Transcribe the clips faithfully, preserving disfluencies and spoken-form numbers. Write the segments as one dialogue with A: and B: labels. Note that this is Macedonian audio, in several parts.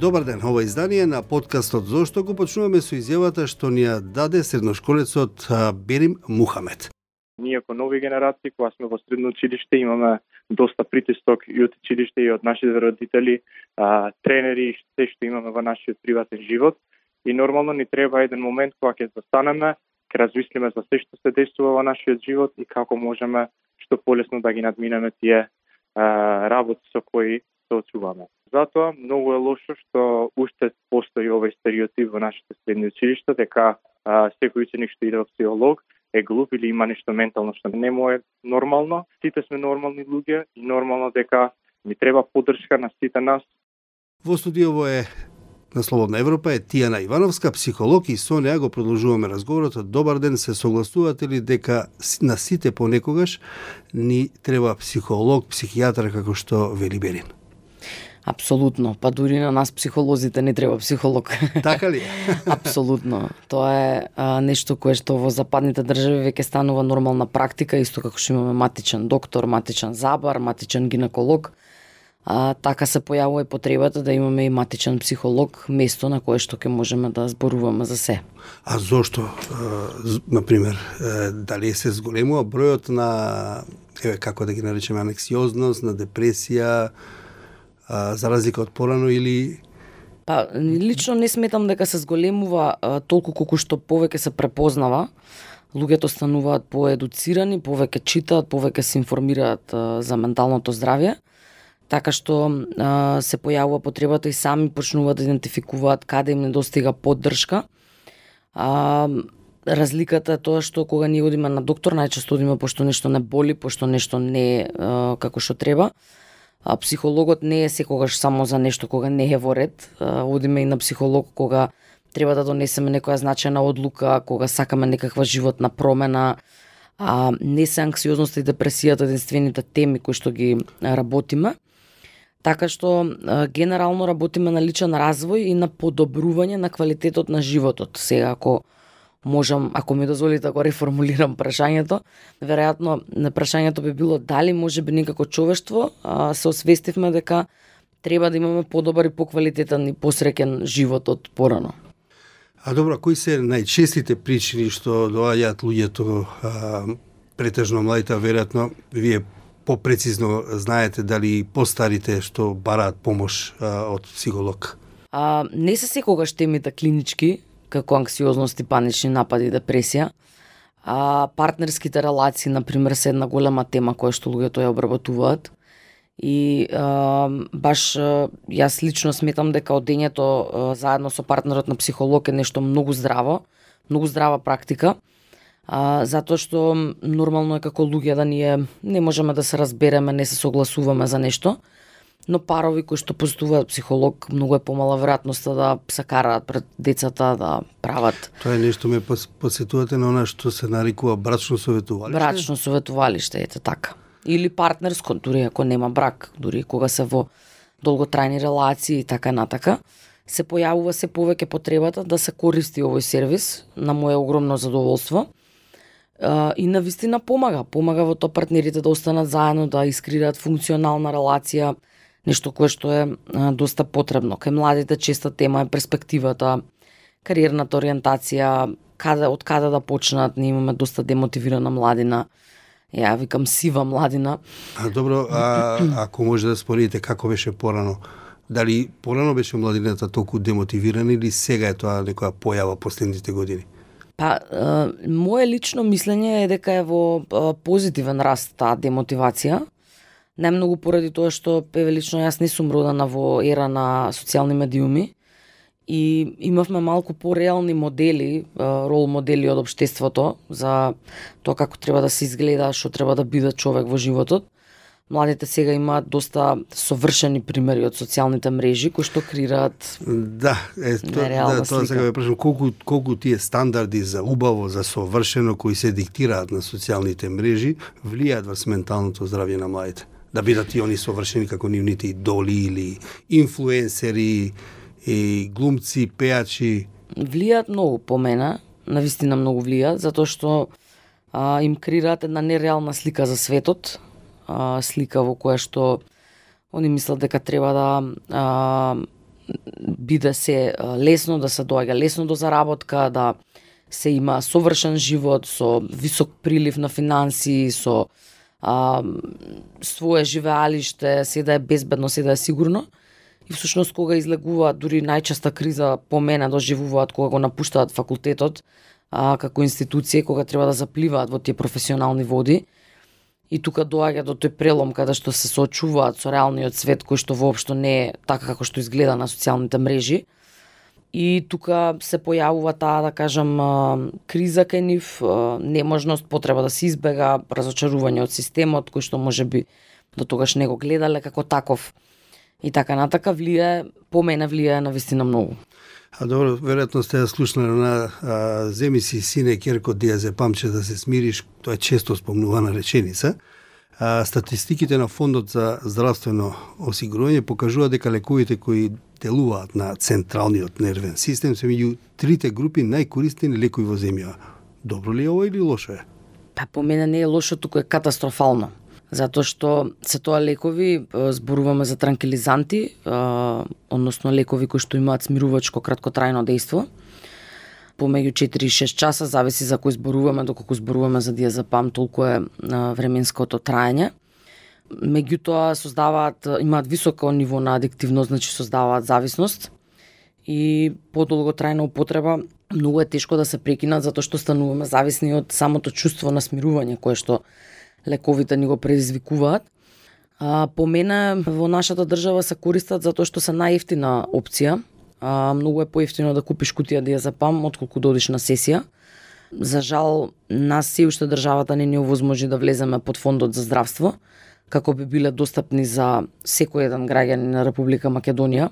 A: Добар ден, ова издание на подкастот Зошто го почнуваме со изјавата што ни ја даде средношколецот Берим Мухамед.
B: Ние како нови генерации, кога сме во средно училиште, имаме доста притисок и од училиште и од нашите родители, а, тренери и се што имаме во нашиот приватен живот. И нормално ни треба еден момент кога ќе застанеме, ќе размислиме за се што се десува во нашиот живот и како можеме што полесно да ги надминеме тие а, работи со кои се очуваме. Затоа многу е лошо што уште постои овој стереотип во нашите средни училишта дека а, секој ученик што иде во психолог е глуп или има нешто ментално што не му е нормално. Сите сме нормални луѓе и нормално дека ни треба поддршка на сите нас.
A: Во студиово е на Слободна Европа е Тијана Ивановска, психолог, и со неа го продолжуваме разговорот. Добар ден, се согласувате ли дека на сите понекогаш ни треба психолог, психијатар, како што вели Берин?
C: Апсолутно, па дури на нас психолозите не треба психолог.
A: Така ли?
C: Апсолутно. Тоа е а, нешто кое што во западните држави веќе станува нормална практика, исто како што имаме матичен доктор, матичен забар, матичен гинеколог. А, така се појавува и потребата да имаме и матичен психолог, место на кое што ќе можеме да зборуваме за се.
A: А зошто, например, дали се зголемува бројот на, еве, како да ги наречеме, анексиозност, на депресија, а, за разлика од порано, или...
C: Па, лично не сметам дека се зголемува а, толку колку што повеќе се препознава. Луѓето стануваат поедуцирани, повеќе читаат, повеќе се информираат а, за менталното здравје, така што а, се појавува потребата и сами почнуваат да идентификуваат каде им недостига поддршка. А, разликата е тоа што кога ние одиме на доктор, најчесто одиме пошто нешто не боли, пошто нешто не е а, како што треба. А психологот не е секогаш само за нешто кога не е во ред. А, одиме и на психолог кога треба да донесеме некоја значајна одлука, кога сакаме некаква животна промена. А, не се анксиозноста и депресијата единствените теми кои што ги работиме. Така што а, генерално работиме на личен развој и на подобрување на квалитетот на животот. Сега, ако можам, ако ми дозволите да го реформулирам прашањето, веројатно на прашањето би било дали може би некако човештво а, се освестивме дека треба да имаме подобар и поквалитетен и посреќен живот од порано.
A: А добро, кои се најчестите причини што доаѓаат луѓето, а, претежно младите, веројатно вие попрецизно знаете дали постарите што бараат помош а, од психолог?
C: А, не се секогаш темите клинички, како анксиозност и панични напади и депресија. А, партнерските релации, например, се една голема тема која што луѓето ја обработуваат. И а, баш а, јас лично сметам дека одењето а, заедно со партнерот на психолог е нешто многу здраво, многу здрава практика. А, затоа што нормално е како луѓе да ние не можеме да се разбереме, не се согласуваме за нешто, но парови кои што посетуваат психолог, многу е помала веројатноста да се караат пред децата, да прават.
A: Тоа е нешто ме посетувате на она што се нарекува брачно советувалиште?
C: Брачно советувалиште, ете така. Или партнерско, дури ако нема брак, дури кога се во долготрајни релации и така натака, се појавува се повеќе потребата да се користи овој сервис, на моје огромно задоволство. И навистина помага. Помага во тоа партнерите да останат заедно, да искреираат функционална релација, нешто кое што е а, доста потребно. Кај младите честа тема е перспективата, кариерната ориентација, каде, од каде да почнат. Ние имаме доста демотивирана младина. Ја викам сива младина.
A: А добро, а, ако може да споредите како беше порано, дали порано беше младината толку демотивирана или сега е тоа некоја појава последните години?
C: Па, а, моje лично мислење е дека е во а, позитивен раст таа демотивација. Најмногу поради тоа што еве лично јас не сум родена во ера на социјални медиуми и имавме малку пореални модели, рол модели од општеството за тоа како треба да се изгледа, што треба да биде човек во животот. Младите сега имаат доста совршени примери од социјалните мрежи кои што креираат
A: да, е, то, да, тоа сега ве прашам колку колку тие стандарди за убаво, за совршено кои се диктираат на социјалните мрежи влијаат врз менталното здравје на младите. Да бидат и они совршени како нивните идоли или инфлуенсери и глумци, пејачи.
C: Влијаат многу по мене, навистина многу влијаат, затоа што а, им креираат една нереална слика за светот, а, слика во која што они мислат дека треба да а, биде се лесно, да се доаѓа лесно до заработка, да се има совршен живот со висок прилив на финансии, со а, свое живеалиште, се да е безбедно, се да е сигурно. И всушност кога излегуваат, дури најчеста криза по мене доживуваат кога го напуштаат факултетот а, како институција, кога треба да запливаат во тие професионални води. И тука доаѓа до тој прелом каде што се соочуваат со реалниот свет кој што воопшто не е така како што изгледа на социјалните мрежи. И тука се појавува таа, да кажам, криза кај нив, неможност, потреба да се избега, разочарување од системот кој што можеби до тогаш не го гледале како таков. И така натака влијае, по мене влијае на вистина многу.
A: А добро, веројатно сте ја слушнале на а, земи си сине керко диазепам че да се смириш, тоа е често спомнувана реченица. А, статистиките на Фондот за здравствено осигурување покажува дека лековите кои делуваат на централниот нервен систем се меѓу трите групи најкористени лекови во земја. Добро ли е ова или лошо е?
C: Па по мене не е лошо, туку е катастрофално. Затоа што се тоа лекови, зборуваме за транкилизанти, односно лекови кои што имаат смирувачко краткотрајно дејство. Помеѓу четири и шест часа, зависи за кој зборуваме, доколку зборуваме за диазепам, толку е временското траење. Меѓутоа создаваат, имаат високо ниво на адиктивност, значи создаваат зависност и подолготрајна употреба многу е тешко да се прекинат затоа што стануваме зависни од самото чувство на смирување кое што лековите ни го предизвикуваат. А, по мене во нашата држава се користат затоа што се најевтина опција. А, многу е поевтино да купиш кутија диазепам отколку да одиш на сесија. За жал, нас се уште државата не ни овозможи да влеземе под Фондот за здравство, како би биле достапни за секој еден граѓанин на Република Македонија.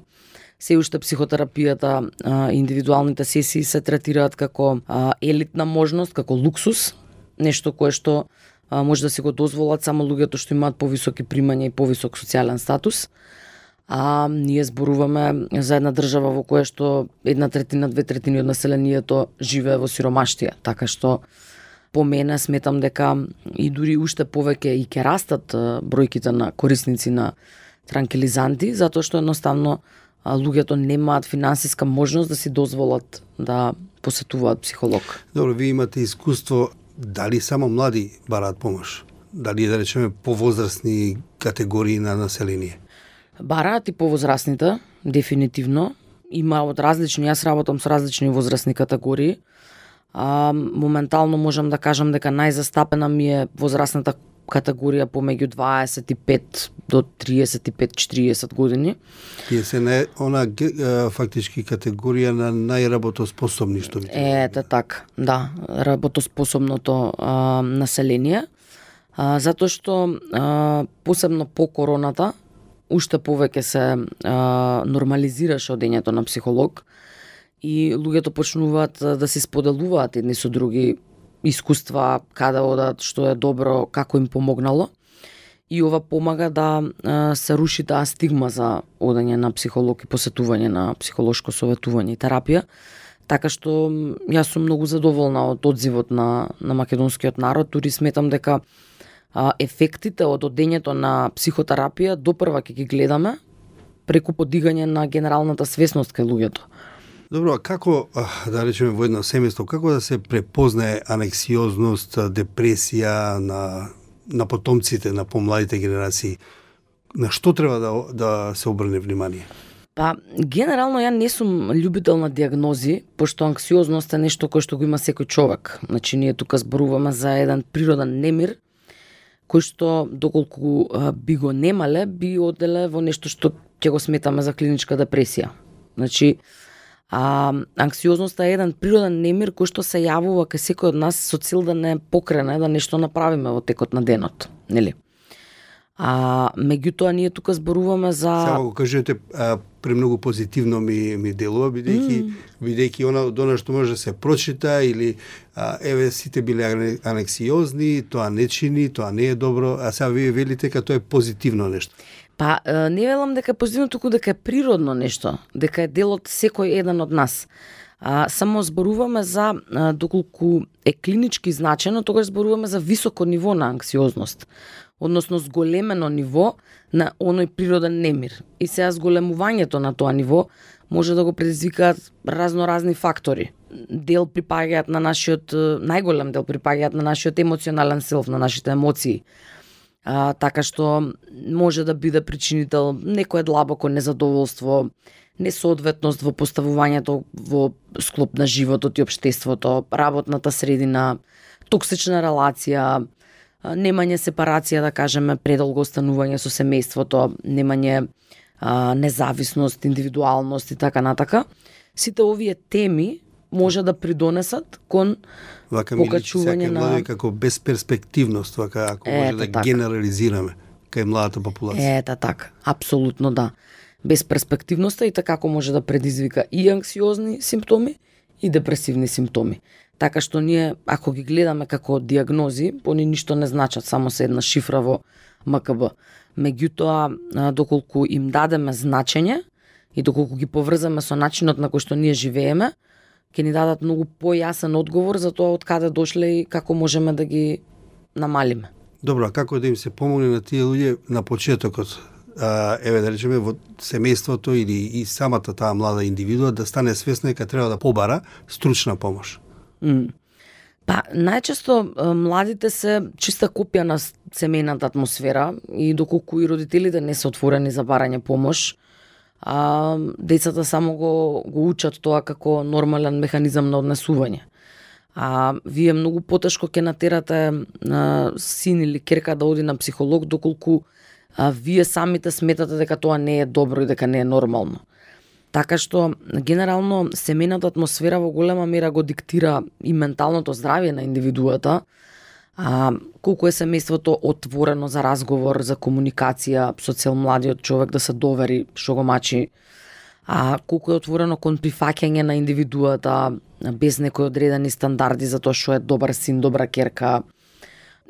C: Се уште психотерапијата, а, индивидуалните сесии се третираат како а, елитна можност, како луксус, нешто кое што а, може да си го дозволат само луѓето што имаат повисоки примања и повисок социјален статус. А ние зборуваме за една држава во која што една третина, две третини од населението живее во сиромаштија, така што по мене сметам дека и дури уште повеќе и ќе растат бројките на корисници на транкилизанти, затоа што едноставно луѓето немаат финансиска можност да си дозволат да посетуваат психолог.
A: Добро, вие имате искуство, дали само млади бараат помош? Дали да речеме повозрастни категории на население?
C: Бараат и повозрастните, дефинитивно. Има од различни, јас работам со различни возрастни категории. А, моментално можам да кажам дека најзастапена ми е возрастната категорија помеѓу дваесет и пет до триесет и пет четириесет години.
A: Тие се не она фактички категорија на најработоспособни што ви.
C: Ете така, да, работоспособното а, население. А, затоа што а, посебно по короната уште повеќе се а, нормализираше одењето на психолог и луѓето почнуваат да се споделуваат едни со други искуства, каде одат, што е добро, како им помогнало. И ова помага да а, се руши таа стигма за одење на психолог и посетување на психолошко советување и терапија. Така што јас сум многу задоволна од одзивот на, на македонскиот народ, дури сметам дека а, ефектите од одењето на психотерапија допрва ќе ги гледаме преку подигање на генералната свесност кај луѓето.
A: Добро, а како, да речеме во едно семејство, како да се препознае анексиозност, депресија на, на потомците, на помладите генерации? На што треба да, да се обрне внимание?
C: Па, генерално ја не сум љубител на диагнози, пошто анксиозност е нешто кое што го има секој човек. Значи, ние тука зборуваме за еден природен немир, кој што, доколку а, би го немале, би оделе во нешто што ќе го сметаме за клиничка депресија. Значи, А, анксиозноста е еден природен немир кој што се јавува кај секој од нас со цел да не покрене, да нешто направиме во текот на денот, нели? А меѓутоа ние тука зборуваме за
A: Само го кажете, а, премногу позитивно ми ми делува бидејќи mm. бидејќи она од она што може да се прочита или а, еве сите биле анексиозни, тоа не чини, тоа не е добро, а сега вие велите дека тоа е позитивно нешто.
C: Па, не велам дека е позитивно, туку дека е природно нешто, дека е дел од секој еден од нас. А, само зборуваме за, а, доколку е клинички значено, тогаш зборуваме за високо ниво на анксиозност, односно зголемено ниво на оној природен немир. И сега зголемувањето на тоа ниво може да го предизвикаат разноразни фактори. Дел припаѓаат на нашиот, најголем дел припаѓаат на нашиот емоционален селф, на нашите емоции. А, така што може да биде причинител некое длабоко незадоволство, несоодветност во поставувањето во склоп на животот и општеството, работната средина, токсична релација, немање сепарација, да кажеме, предолго останување со семејството, немање а, независност, индивидуалност и така натака. Сите овие теми може да придонесат кон
A: вака
C: покачување
A: на... Вака како безперспективност, вака ако може да
C: така.
A: Генерализираме кај младата популација.
C: Ета така, апсолутно да. Безперспективноста и така може да предизвика и анксиозни симптоми и депресивни симптоми. Така што ние, ако ги гледаме како диагнози, они ништо не значат, само се една шифра во М К Б. Меѓутоа, доколку им дадеме значење и доколку ги поврзаме со начинот на кој што ние живееме, ќе ни дадат многу појасен одговор за тоа од каде дошле и како можеме да ги намалиме.
A: Добро, а како да им се помогне на тие луѓе на почетокот? А, еве да речеме во семејството или и самата таа млада индивидуа да стане свесна дека треба да побара стручна помош.
C: Mm. Па, најчесто младите се чиста копија на семејната атмосфера и доколку и родителите не се отворени за барање помош, а, децата само го, го учат тоа како нормален механизам на однесување. А вие многу потешко ќе натерате а, син или керка да оди на психолог доколку а, вие самите сметате дека тоа не е добро и дека не е нормално. Така што, генерално, семејната атмосфера во голема мера го диктира и менталното здравје на индивидуата, а, колку е семејството отворено за разговор, за комуникација со цел младиот човек да се довери што го мачи, а колку е отворено кон прифаќање на индивидуата без некои одредени стандарди за тоа што е добар син, добра керка,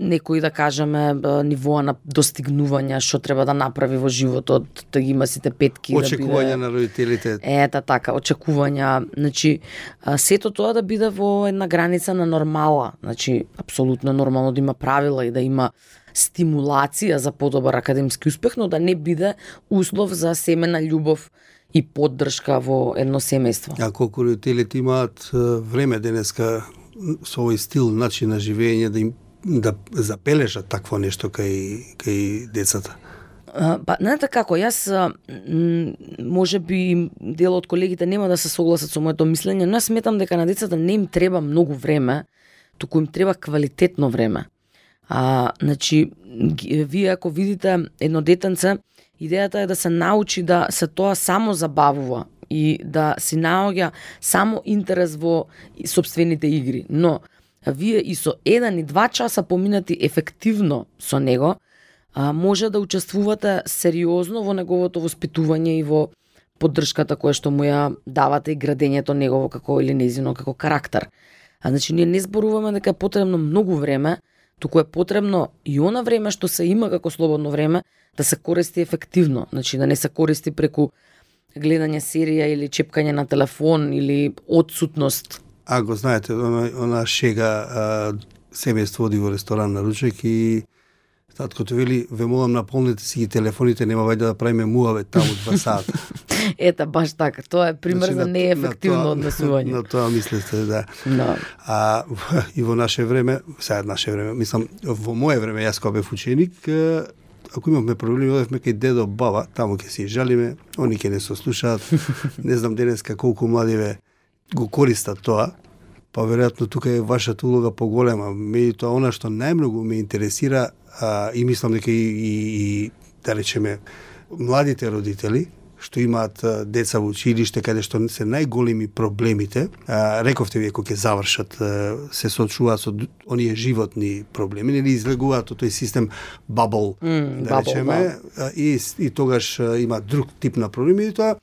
C: некои, да кажеме, нивоа на достигнување, што треба да направи во животот, да ги има сите петки.
A: Очекувања
C: да биде...
A: на родителите.
C: Ета така, очекувања. Значи, сето тоа да биде во една граница на нормала. Значи, апсолутно нормално да има правила и да има стимулација за подобар академски успех, но да не биде услов за семена љубов и поддршка во едно семејство.
A: А колку родителите имаат време денеска со овој стил, начин на живење да им да запележат такво нешто кај кај децата?
C: Па, знаете како, јас може би дел од колегите нема да се согласат со моето мислење, но јас сметам дека на децата не им треба многу време, туку им треба квалитетно време. А, значи, вие ако видите едно детенце, идејата е да се научи да се тоа само забавува и да си наоѓа само интерес во сопствените игри, но вие и со еден и два часа поминати ефективно со него, а, може да учествувате сериозно во неговото воспитување и во поддршката која што му ја давате и градењето негово како или незино како карактер. А значи ние не зборуваме дека е потребно многу време, туку е потребно и она време што се има како слободно време да се користи ефективно, значи да не се користи преку гледање серија или чепкање на телефон или отсутност.
A: А го знаете, она, она шега а, семејство оди во ресторан на ручек и таткото вели, ве молам наполните си ги телефоните, нема вајде да правиме муавет таму два сата.
C: Ета, баш така. Тоа е пример значи, за неефективно однесување.
A: На тоа мислите, да.
C: No.
A: А и во наше време, сега наше време, мислам, во мое време, јас кога бев ученик, ако имавме проблеми, одевме кај дедо, баба, таму ќе си жалиме, они ќе не се слушаат. Не знам денеска колку младиве го користат тоа, па веројатно тука е вашата улога поголема. Меѓутоа, она што најмногу ме интересира, а, и мислам дека и, и, и да речеме, младите родители, што имаат а, деца во училиште, каде што се најголеми проблемите, а, рековте вие кога ќе завршат, а, се соочуваат со оние животни проблеми, или излегуваат од тој систем bubble,
C: mm,
A: да речеме, да. И, и тогаш а, има друг тип на проблеми, и тоа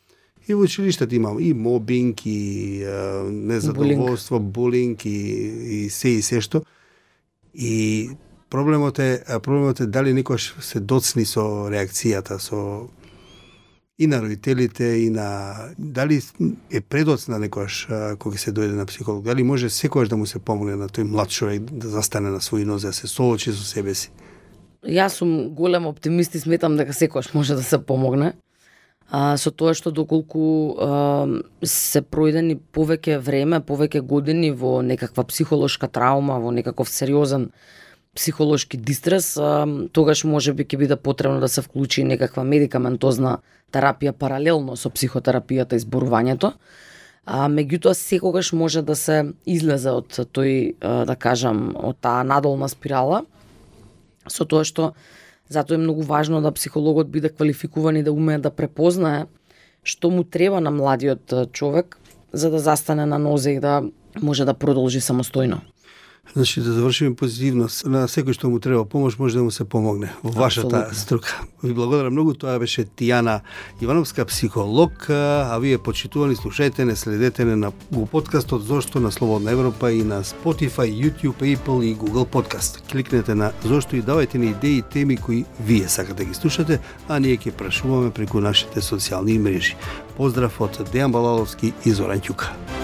A: и во училиштето имам и мобинг, и а, незадоволство, булинг, и, и се и се што. И проблемот е, проблемот е дали некојаш се доцни со реакцијата, со и на родителите и на дали е предоцна некојаш кога се дојде на психолог, дали може секогаш да му се помогне на тој млад човек да застане на своји нозе, да се соочи со себе си.
C: Јас сум голем оптимист и сметам дека секогаш може да се помогне. А, со тоа што доколку а, се пројдени повеќе време, повеќе години во некаква психолошка траума, во некаков сериозен психолошки дистрес, а, тогаш може би ќе биде потребно да се вклучи некаква медикаментозна терапија паралелно со психотерапијата и зборувањето. А меѓутоа секогаш може да се излезе од тој, да кажам, од таа надолна спирала, со тоа што затоа е многу важно да психологот биде квалификуван и да умее да препознае што му треба на младиот човек за да застане на нозе и да може да продолжи самостојно.
A: Значи, да завршиме позитивно. На секој што му треба помош, може да му се помогне во вашата струка. Ви благодарам многу. Тоа беше Тијана Ивановска, психолог, а вие почитувани слушајте не, следете не на го подкастот Зошто на Слободна Европа и на Spotify, YouTube, Apple и Google Podcast. Кликнете на Зошто и давајте ни идеи и теми кои вие сакате да ги слушате, а ние ќе прашуваме преку нашите социјални мрежи. Поздрав од Дејан Балаловски и Зоран Ќука.